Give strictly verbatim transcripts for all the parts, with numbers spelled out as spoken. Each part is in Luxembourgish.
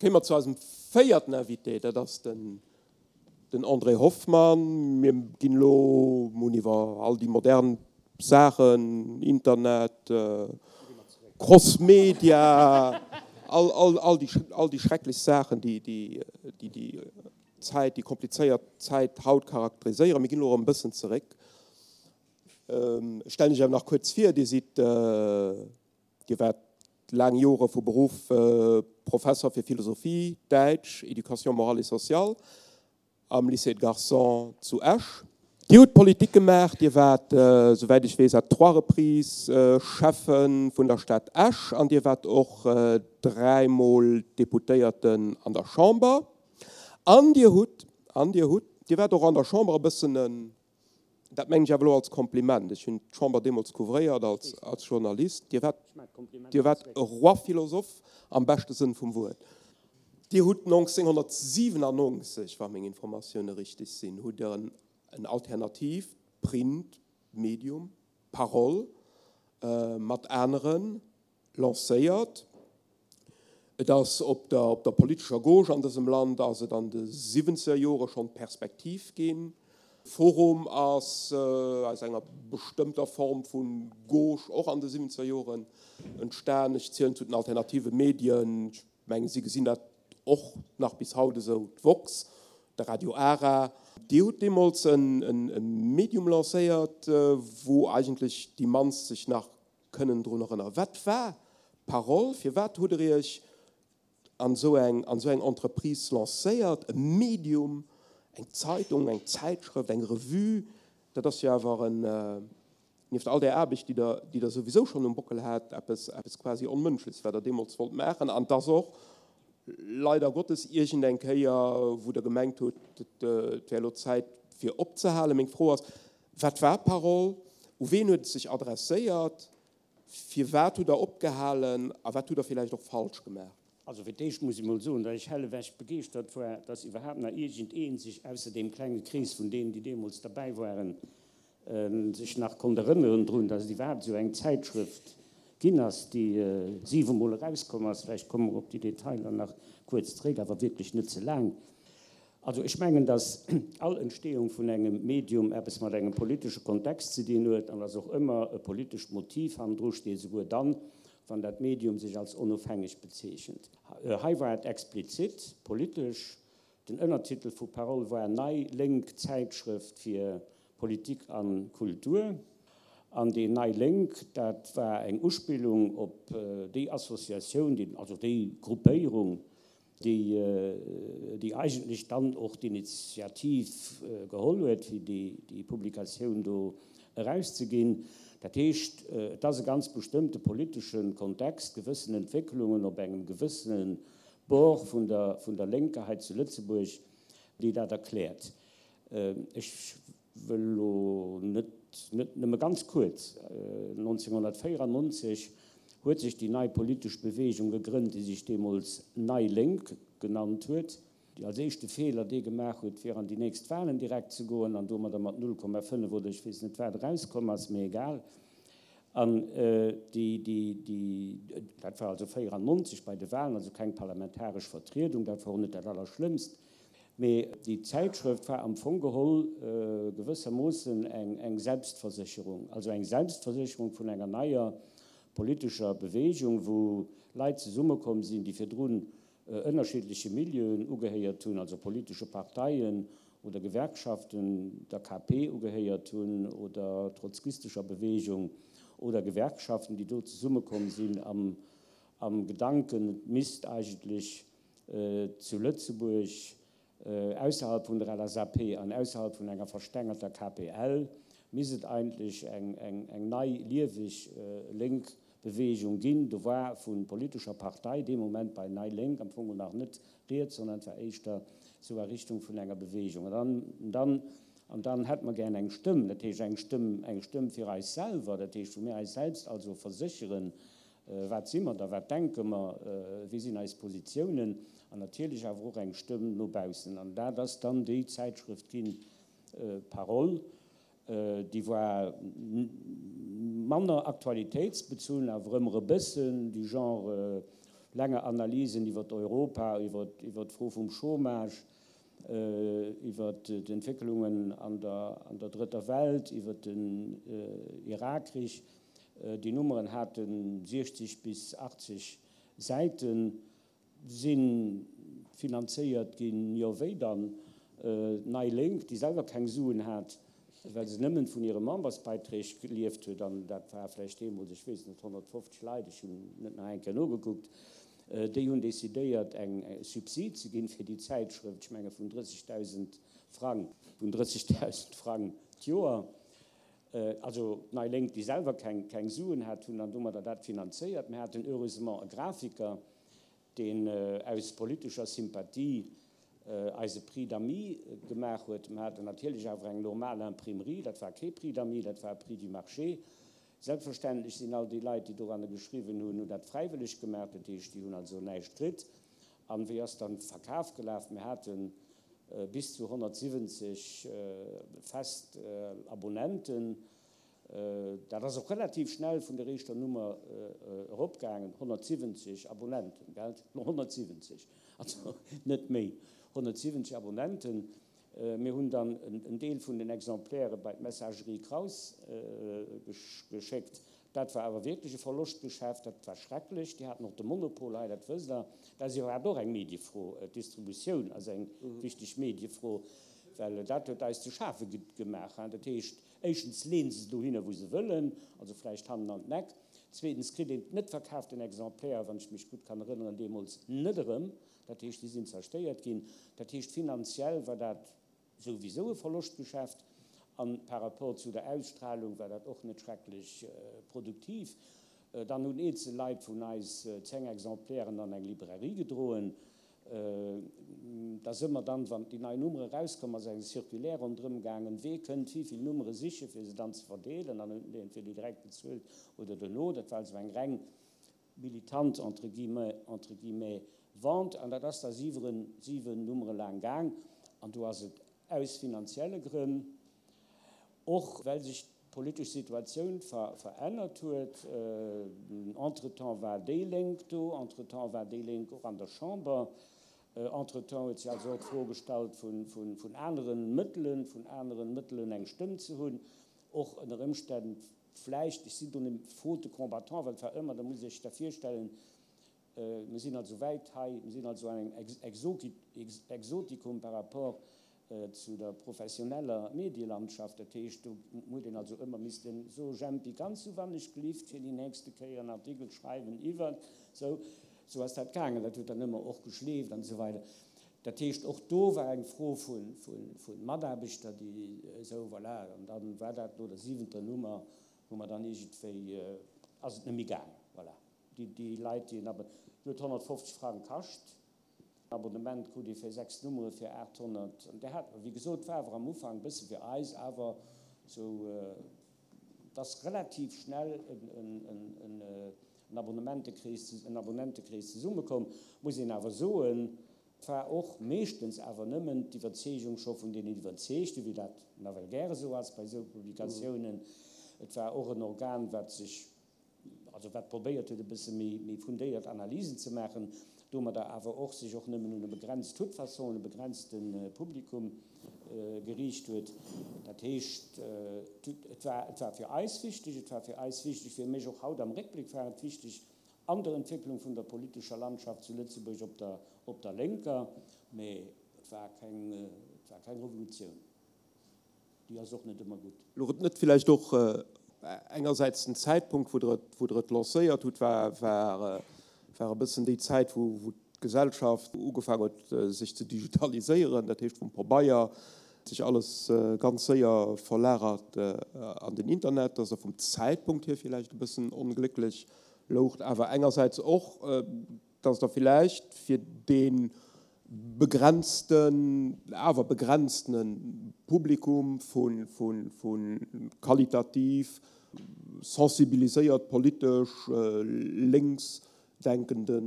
Kéime mer zu eisem véierten Invité, dat ass den den André Hoffmann. Mir ginn elo, mir hunn iwwer all déi modern Saachen, Internet, Crossmedia, all, all, all déi, all déi schrecklech Saachen, déi déi, déi déi Zäit, déi komplizéiert Zäit haut charakteriséieren. Mir ginn elo erëm e bëssen zeréck. Ech stellen Iech awer nach kuerz vir, Dir sidd, Dir waart laang Jore vu Beruff Professer fir Philosophie, Däitsch, Éducation morale et sociale am Lycée de Garçons zu Esch. Dir hutt Politik gemaach, Dir waart, souwäit ech weess, à trois reprises Schäffe vun der Stad Esch an Dir waart och dräimol Deputéierten an der Chamber. An Dir hutt, an Dir hutt, Dir waart och an der Chamber e bëssen en, Dat mengen ech awer elo als Kompliment. Ech hunn d'Chamber deemools couvréiert als als Journalist. Dir waart, Dir waart e Roi philosophe am beschte Sënn vum Wuert. Dir hutt neunzehnhundertsiebenundneunzig, wa meng Informatioune richteg sinn, hutt Der en en alternatiivt Printmedium, Parole, mat anere lancéiert. Et ass op der op der politescher Gauche an dësem Land ass et an de siwwenzeger Jore schonn d'Perspektiv ginn. Forum ass aus enger bestëmmter Form vu Gauche och an de siwwenzeger Joren entstan. Ech zielen zu den alternative Medien, ech mengen si gesinn dat och nach bis haut esou, d'woxx, de Radio Ara. Dir hutt deemools e Medium lancéiert, wou eigentlech déi mannst sech nach kënnen drun erënneren. Wat war Parole? Firwat hutt Der Iech an esou eng, an esou eng Entreprise lancéiert? E Medium, eng Zeitung, eng Zäitschrëft, eng Revue, dat ass jo awer en, nieft all där Aarbecht, déi Der, déi Der souwisou schonn um Bockel hat, eppes, eppes quasi Onmënschleches, wat Der deemools wollt maachen. An et ass och leider Gottes iergend eng Kéier, wou Der gemengt hutt, et wär elo Zäit fir opzehalen. Meng Fro ass, Wat war Parole? U ween huet et sech adresséiert? Firwat hutt Der opgehalen a wat hutt Der villäicht och falsch gemaach? Also fir d'éischt muss ech mol soen, datt ech hellewech begeeschtert war, datt iwwerhaapt nach iergend ee sech, ausser deem klenge Krees vun deenen, déi deemools derbäi waren, sech nach konnt erënneren drun, datt et iwwerhaapt esou eng Zäitschrëft ginn ass, déi siwemol erauskomm ass. Vläicht komme mer op déi Detailer nach kuerz zréck, awer wierklech net ze laang. Also ech mengen, datt all Entstehung vun engem Medium eppes mat engem politesche Kontext ze dinn huet an datt och ëmmer e politescht Motiv hannendru steet, esouguer dann, wann dat Medium sech als onofhängeg bezeechent. Hei war et explizit politesch. Den Ënnertitel vu Parole war Nei lénk Zäitschrëft fir Politik a Kultur. An deen Nei Lénk, dat war eng Uspillung op déi Associatioun, also déi Gruppéierung, déi déi eigentlech dann och d'Initiativ geholl huet, fir déi Publikatioun do erauszeginn. Dat heescht, et ass e ganz bestëmmte politesche Kontext, gewëssen Entwécklungen op engem gewëssene Bord vun der vun der Lénker hei zu Lëtzebuerg, déi dat erkläert. Ech wëll elo net, net nëmme ganz kuerz, nonzénghunnertvéierannonzeg huet sech déi nei politesch Beweegung gegrënnt, déi sech deemools Nei Lénk genannt huet, déi als éischte Feeler dee gemaach huet, fir an déi nächst Wahlen direkt ze goen an domadder mat null Komma fënnef oder ech weess net wat erauskomm ass, mee egal. An déi, déi, déi, dat war also véierannonzeg bei de Wahlen, also keng parlamentaresch Vertriedung, dat war och net dat Allerschlëmmst, mee déi Zäitschrëft war am Fong geholl gewëssermoossen eng, eng Selbstversécherung, also eng Selbstversécherung vun enger neier politescher Beweegung, wou Leit zesummekomm sinn, déi virdrun ënnerschiddleche Milieuen ugehéiert hunn, also politesche Parteien oder Gewerkschaften, der K P ugehéiert hunn oder trotzkistescher Beweegung oder Gewerkschaften, déi do zesummekomm sinn am am Gedanken, et misst eigentlech zu Lëtzebuerg, ausserhalb vun der L S A P an ausserhalb vun enger verstengerter K P L, misst et eigentlech eng nei lieweg lénk Beweegung ginn. Do war vu politescher Partei dee Moment bei Nei Lénk am Fong nach net rieds, sondern et war éischter sou a Richtung vun enger Beweegung. An dann, an dann hätte mer gär eng Stëmm, dat heescht eng Stëmm, eng Stëmm fir eis selwer, dat heescht wou mir eis selbst also versécheren, wat si mer da, wat denke mer, wéi sinn eis Positiounen, an natierlech awer och eng Stëmm no baussen. An dat ass dann déi Zäitschrëft ginn, Parole. Déi war manner aktualitéitsbezunn, awer ëmmer e bëssen du Genre, Länger Analysen iwwer Europa, iwwer iwwer d'Fro vum Chômage, iwwer d'Entwécklungen an der an der Drëtter Welt, iwwer den Irakkrich. Déi Nummeren hate siechzeg bis achtzeg Säiten. Si finanzéiert ginn, jo wéi dann? D'Nei Lénk, déi selwer keng Suen hat, well se nëmmen vun hire Membersbeiträg gelieft huet, an dat war vläicht deemools, ech weess net, honnertfofzeg Leit, ech hunn net nach eng Kéier nogekuckt, déi hunn decidéiert eng Subsid ze ginn fir déi Zäitschrëft, ech menge vun drëssegdausend Frang, vun drëssegdausend Frang d'Joer. Also d'Nei Lénk, déi selwer keng, keng Suen hat, hunn dann domadder dat finanzéiert. Mir haten heureusement e Grafiker, deen aus politescher Sympathie eis e Prix d'amis gemaach huet. Mir haten natierlech awer eng normal Imprimerie, dat war kee Prix d'amis, dat war e Prix du marché. Selbstverständlech sinn all déi Leit, déi doranner geschriwwen hunn, hunn dat fräiwëlleg gemaach, dat heescht, déi hunn also näischt kritt. An wéi ass dann de Verkaf gelaf? Mir hate bis zu honnertsiwwenzeg fest Abonnenten. Dat ass och relativ schnell vun der éischter Nummer eropgaangen, honnertsiwwenzeg Abonnenten, gell? honnertsiwwenzeg, also net méi, honnertsiwwenzeg Abonnenten. Mir hunn dann en Deel vun den Exemplaire bei d'Messagerie Kraus geschéckt. Dat war awer wierklech e Verloschtgeschäft, dat war schrecklech. Déi haten och de Monopol hei, dat wësst Der. Dat ass iwwerhaapt och eng Mediefro, d'Distributioun ass eng wichteg Mediefro, well dat huet eis ze schafe gemaach. Dat heescht, éischtens leeën se se dohinner, wou se wëllen, also vläicht hannen an d'Eck. Zweetens kritt een d'net verkaaften Exemplaire, wann ech mech gutt kann erënneren, deemools net erëm. Dat heescht, déi sinn zerstéiert ginn. Dat heescht, finanziell war dat souwisou e Verloschtgeschäft an par rapport zu der Ausstrahlung war dat och net schrecklech produktiv. Dann hunn eenzel Leit vun eis zéng Exemplairen an eng Librairie gedroen. Da si mer dann, wann déi nei Nummere erauskomm ass, eng Circulaire ronderëm gaangen, wee kënnt wéivill Nummere sichen, fir se dann ze verdeelen. Dann hunn déi entweder direkt bezuelt oder dono. Dat war also eng reng militant, entre guillemets, entre guillemets, Vente. An dat ass da siwen, siwen Nummere laang gaang. An do ass et aus finanzielle Grënn, och well sech d'politesch Situatioun verännert huet, entretemps war déi Lénk do, entretemps war déi Lénk och an der Chamber, entretemps huet sech also och d'Fro gestallt vun anere Mëttelen, vun anere Mëttelen eng Stëmm ze hunn, och ënner Ëmstänn vläicht, ech sinn do net faute combattant, well et war ëmmer, da musst Dir Iech da virstellen, Mir sinn also wäit hei, mir sinn also an engem Exotikum par rapport zu der professioneller Medielandschaft. Dat heescht, do huet een also ëmmer missten, So Jempi, kanns du wann ech glift fir déi nächste Kéier en Artikel schreiwen iwwer sou? Sou ass dat gaangen. Dat huet dann ëmmer och geschleeft an esou weider. Dat heescht, och do war eng Fro vu Mataarbechter, déi esou, voilà, an da war dat no der siwenter Nummer, wou mer dann iergendwéi, ass et net méi gaangen, voilà. Déi Leit, déi en Abonnement, déi huet honnertfofzeg Frang kascht, en Abonnement krut ee fir sechs Nummere fir aathonnert, an där hat mer, wéi gesot, war awer am Ufank e bësse fir eis awer esou, et ass relativ schnell en Abonnementekrees, en Abonnentekrees zesummekomm, muss een awer soen. Et war och meeschtens awer nëmmen d'Iwwerzeegung scho vun deenen Iwwerzeegten, wéi dat nawell gäre esou ass bei esou Publikatiounen. Et war och en Organ, wat sech, also wat probéiert huet, e bësse méi fundéiert Analysen ze maachen, domadder awer och sech och nëmmen un e begrenzt, toute façon un e begrenzte Publikum geriicht huet. Dat heescht, et war, et war fir eis wichteg, et war fir eis wichteg, fir mech och haut am Réckbléck war et wichteg an der Entwécklung vun der politescher Landschaft zu Lëtzebuerg op der, op der Lénker, mä et war keng, et war keng Revolutioun. Déi ass och net ëmmer gutt. Louch et net villäicht och engersäits den Zäitpunkt, wou Der et, wou Der et lancéiert hutt, war, war, war e bëssen déi Zäit, wou, wou d'Gesellschaft ugefaangen huet, sech ze digitaliséieren, dat heescht vum Pabeier sech alles ganz séier verlagert an den Internet, dass Der vum Zäitpunkt hier villäicht e bëssen onglécklech loucht, awer engersäits och, dass Der villäicht fir dee begrenzten, awer begrenztene Publikum vu qualitativ sensibiliséiert politesch lénks denkende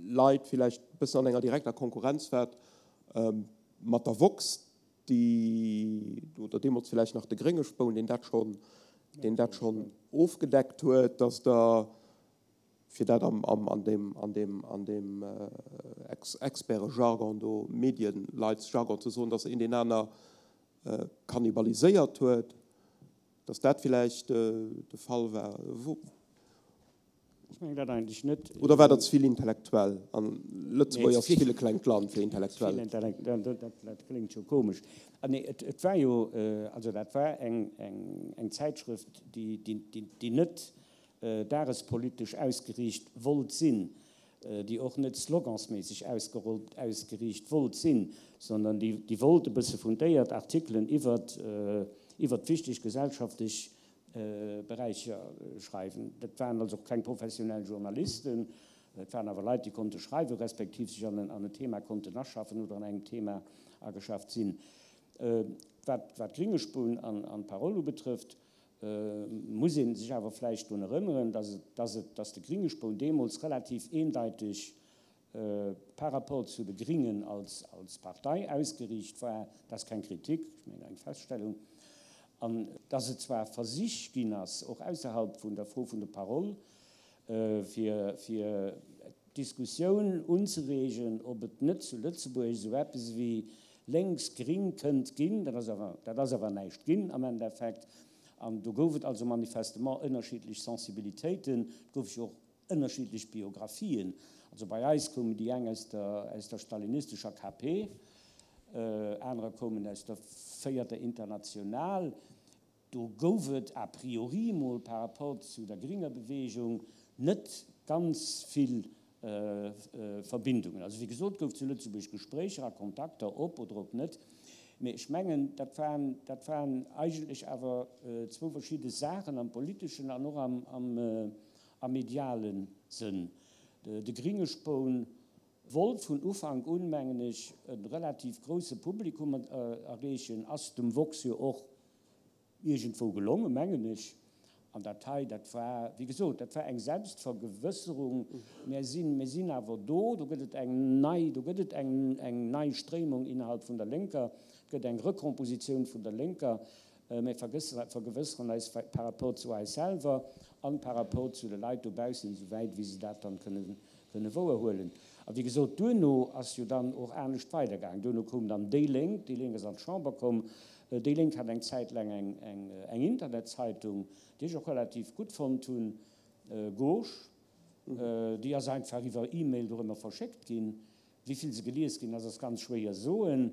Leit villäicht e bëssen an enger direkter Konkurrenz waart mat der woxx, déi, oder deemools villäicht nach de grénge Spoun, deen dat schonn, deen dat schonn ofgedeckt huet, dass Der fir dat am, am, an deem, an deem, an deem Ex Experte-Jargon do, Medienleitsjargon ze soen, dass een deen aner kannibaliséiert huet, dass dat villäicht de Fall war. Ech mengen dat eigentlech net. Oder war dat ze vill intellektuell? An Lëtzebuerg ass ze vill e klengt Land fir intellektuell. Dat kléngt scho komesch. Nee, et war jo, also dat war eng, eng, eng Zäitschrëft, déi, déi, déi net dagespolitesch ausgeriicht wollt sinn, déi och net slogansméisseg ausgerollt, ausgeriicht wollt sinn, sondern déi, déi wollt e bësse fundéiert Artikelen iwwert, iwwert wichteg gesellschaftlech Beräicher schreiwen. Dat waren also och keng professionell Journalisten, et waren awer Leit, déi konnte schreiwen, respektiv sech an en, an en Thema konnten aschaffen oder an engem Thema ageschafft sinn. Wat, wat d'Gringespuun an, an d'Parole ubetrëfft, muss ee sech awer vläicht drun erënneren, dass et, dass et, dass de Gringespoun deemools relativ eendeiteg par rapport zu de Gringen als, als Partei ausgeriicht war. Dat ass keng Kritik, ech mengen eng Feststellung. An dass et zwar Versich ginn ass, och ausserhalb vun der Fro vun der Parole, fir, fir d'Diskussioun unzereegen, ob et net zu Lëtzebuerg esou eppes wéi lénks-gring kënnt ginn, dat ass awer, dat ass awer näischt ginn am Endeffekt. An do gouf et also manifestement ënnerschiddlech Sensibilitéiten, et goufe jo och ënnerschiddlech Biographien. Also bei eis koumen déi eng aus der, aus der stalinistescher K P, anerer koumen aus der Véierter International. Do gouf et a priori mol par rapport zu der gringer Bewegung net ganz vill Verbindungen. Also wéi gesot, gouf zu Lëtzebuerg Gespréicher a Kontakter op oder och net. Mee ech mengen, dat waren, dat waren eigentlech awer zwou verschidde Saachen am politeschen an och am, am, am mediale Sënn. De Gringespoun wollt vun Ufank un, mengen ech, e relativ grousse Publikum erreechen, ass dem Woxx jo och iergendwou gelongen, mengen ech. An dat hei, dat war, wéi gesot, dat war eng Selbstvergewësserung. Mir sinn, mir sinn awer do, do gëtt et eng nei, do gëtt et eng, eng nei Stréimung innerhalb vun der Lénker, et gëtt eng Rekompositioun vun der Lénker. Mir vergewësseren eis par rapport zu eis selwer an par rapport zu de Leit dobaussen, esouwäit wéi se dat dann kënnen, kënnen wouerhuelen. A wéi gesot, duerno ass jo dann och anescht weidergaangen. Duerno koum dann déi Lénk, déi Lénk ass an d'Chamber komm. Déi Lénk hat eng Zäit laang eng, eng, eng Internetzeitung, déi ech och relativ gutt fonnt hunn, Gauche. Déi ass einfach iwwer E-Mail dorëmmer verschéckt ginn. Wéi vill se gelies ginn ass, ass ganz schwéier soen.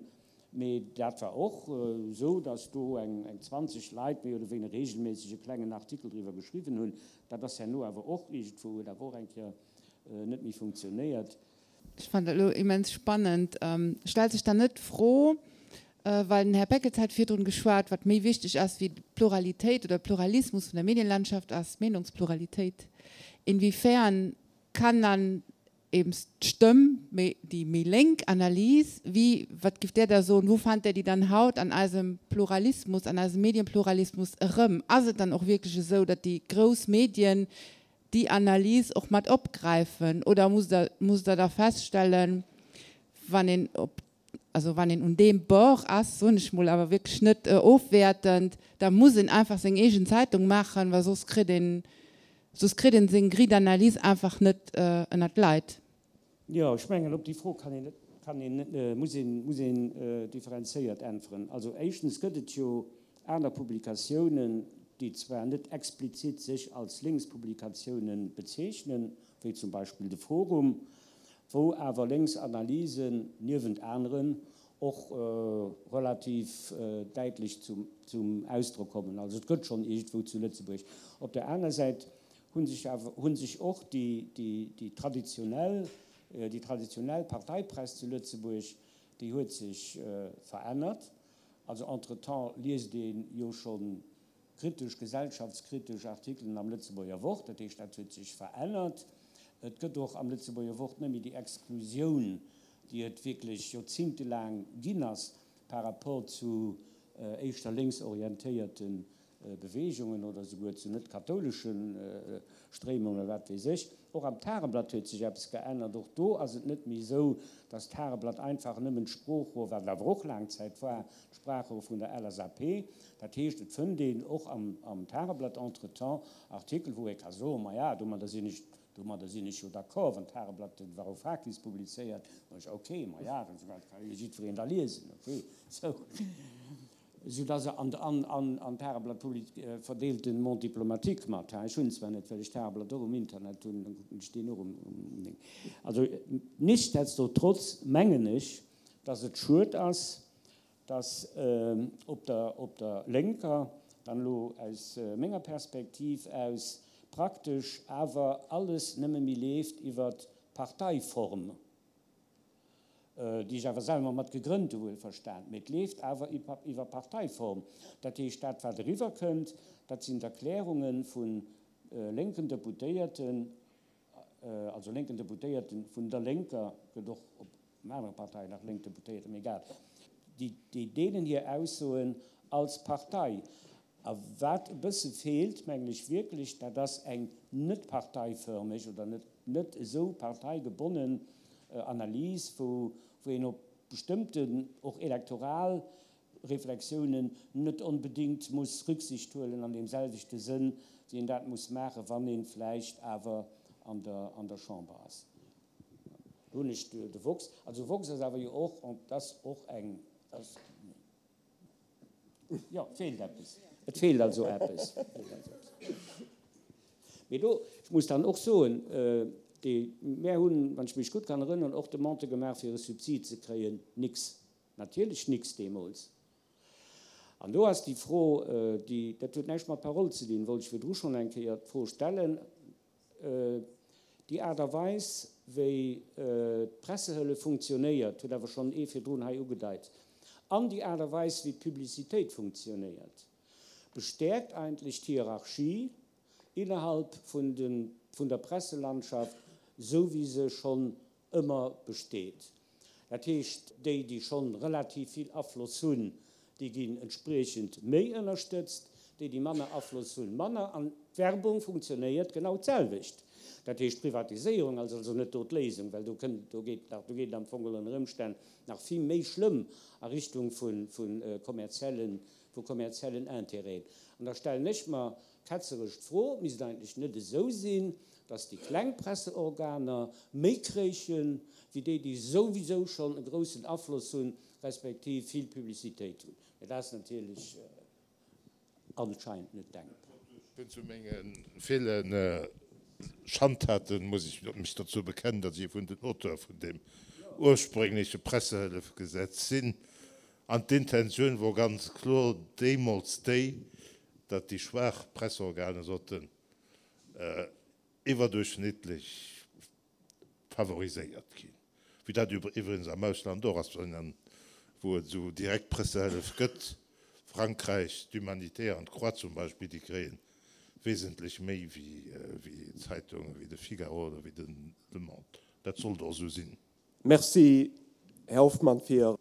Mee dat war och esou, datt do eng, eng zwanzeg Leit méi oder wéineger reegelméisseg e klengen Artikel driwwer geschriwwen hunn. Dat ass herno awer och iergendwou, huet awer och eng Kéier net méi funktionéiert. Ech fannen dat elo immens spannend. Stellt sech dann net d'Fro, well den Här Beckels hat virdrun geschwat, wat méi wichteg ass wéi d'Pluralitéit oder Pluralismus vun der Medienlandschaft ass d'Meenungspluralitéit. Inwiefern kann dann eben d'Stëmm, déi méi lénk Analys, wéi, wat giff Där da soen, wou fannt Där déi dann haut an eisem Pluralismus, an eisem Medienpluralismus erëm? Ass et dann och wierklech esou, datt déi grouss Medien déi Analys och mat opgräifen? Oder musst Der, musst Der da feststellen, wann een op, also wann een un deem Bord ass, soen ech mol, awer wierklech net ofwäertend, da muss een einfach seng eegen Zeitung maachen, well soss kritt een, soss kritt een seng Grille d'analyse einfach net ënnert d'Leit. Jo, ech mengen, op déi Fro kann een net, kann een, muss een, muss een differenzéiert äntweren. Also éischtens gëtt et jo aner Publikatiounen, déi zwar net explizit sech als Linkspublikatiounen bezeechnen, wéi zum Beispill de Forum, wou awer Linksanalysen niewent aneren och relativ däitlech zum, zum Ausdrock kommen. Also et gëtt schonn iergendwou zu Lëtzebuerg. Op der aner Säit hu sech awer, hu sech och déi, déi, déi traditionell, déi traditionell Parteipress zu Lëtzebuerg, déi huet sech verännert. Also entretemps liest ee jo schonn kritesch, gesellschaftskritesch Artikelen am Lëtzebuerger Wort, dat heescht, dat huet sech verännert. Et gëtt och am Lëtzebuerger Wort net méi déi Exklusioun, déi et wierklech joerzingtelaang ginn ass par rapport zu éischter lénksorientéierte Beweegungen oder souguer zu net-kathoulesche Stréimungen oder wat weess ech. Och am Tageblatt huet sech eppes geännert. Och do ass et net méi esou, datt d'Tageblatt einfach nëmmen d'Sproochrohr, wat et awer och laang Zäit war, d'Sprachrohr vun der L S A P. Dat heescht, et fënnt een och am, am Tageblatt entretemps Artikel, wou ee ka soen, maja, domadder sinn ech Domadder sinn ech jo d'accord. Wann d'Tageblatt de Varoufakis publizéiert, soen ech, ok, ma ja, dat ka jo jiddwereen da liesen, ok. Sou, soudass se an, an, an, an d'Tageblatt publi-, verdeelt den Monde diplomatique mat. Ha, ech hunn zwar net, well ech d'Tageblatt och um Internet hunn, dann kucken ech deen och um, um Ding. Also, nichtsdestotrotz mengen ech, dass et schued ass, dass op der, op der lénker, dann elo aus menger Perspektiv aus, praktesch awer alles nëmme méi leeft iwwer d'Parteiform, déi ech awer selwer mat gegrënnt hu wuelverstan, mee et leeft awer iwwer Parteiform. Dat heescht, dat wat eriwwer kënnt, dat sinn d'Erklärunge vu lénken Deputéierten, also lénken Deputéierten vun der Lénker, gëtt och op anere Parteien nach lénk Deputéierten, mee egal, déi deenen hir Aussoen als Partei. A wat e bësse feelt, mengen ech wierklech, dat ass eng net parteiförmeg oder net, net esou parteigebonnen Analys, wou, wou een op bestëmmten och elektoral Reflexiounen net onbedéngt muss Rücksicht huelen an deem selwechte Sënn, wéi een dat muss maachen, wann ee vläicht awer an der, an der Chamber ass. Do hunn ech de Woxx. Also Woxx ass awer jo och, dat ass och eng, dat ass, Jo, et feelt eppes. Et feelt also eppes. Mee do, ech muss dann och soen, déi, mär hunn, wann ech mech gutt kann erënneren, och Demandë gemaach, fir e Subsid ze kréien. Nix. Natierlech nix deemools. An do ass déi Fro, déi, dat huet näischt mat Parole ze dinn, wollt ech virdru schonn eng Kéier d'Fro stellen, Déi Aart a Weis, wéi d'Pressehëllef funktionéiert, huet awer schonn ee virdrun hei ugedeit, an déi Aart a Weis, wéi d'Publicitéit funktionéiert, bestäerkt eigentlech d'Hierarchie innerhalb vun der Presselandschaft, esou wéi se schonn ëmmer besteet. Dat heescht, déi, déi schonn relativ vill Afloss hunn, déi ginn entspriechend méi ënnerstëtzt, déi, déi manner Afloss hunn, manner. An d'Werbung funktionéiert genau d'selwecht. Dat heescht, d'Privatiséierung ass also net do d'Léisung, well do kënnt, do geet nach, do geet et am Fong geholl ënner Ëmstänn nach vill méi schlëmm a Richtung vu, vu kommerziellen, vu kommerziellen Intérêten. An da stellen ech mer ketzeresch d'Fro, Misst et eigentlech net esou sinn, dass déi kleng Presseorganer méi kréichen, wéi déi, déi souwisou schonn e groussen Afloss hunn, respektiv vill Publicitéit hunn? Mä dat ass natierlech anscheinend net denkbar. Ech hunn zu menge ville Schandtaten, muss ech mech dozou bekennen, datt ech ee vun den Auteure vun deem urspréngleche Pressehëllefgesetz sinn. An d'Intentioun wor ganz kloer deemools déi, datt déi schwaach Presseorgane sollten iwwerduerchschnittlech favoriséiert ginn, wéi dat iwwregens am Ausland och ass, wou et esou direkt Pressehëllef gëtt, Frankräich, d'Humanité an d'Croix zum Beispill, déi kréie wesentlech méi wéi Zeitunge wéi de Figaro oder wéi de Le Monde. Dat sollt och esou sinn. Merci, Här Hoffmann, fir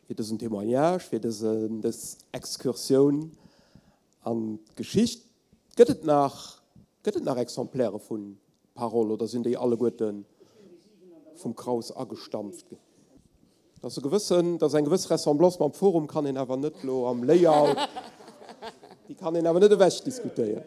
dësen Témoignage, fir dës Excursioun an d'Geschicht. Gëtt et nach, gëtt et nach Exemplaire vu Parole oder sinn déi alleguerte vum Kraus agestampft ginn? Dat ass e gewëssen, dat ass eng gewëss Ressemblance mam Forum, kann een awer net elo am Layout, déi kann een awer net ewech diskutéieren.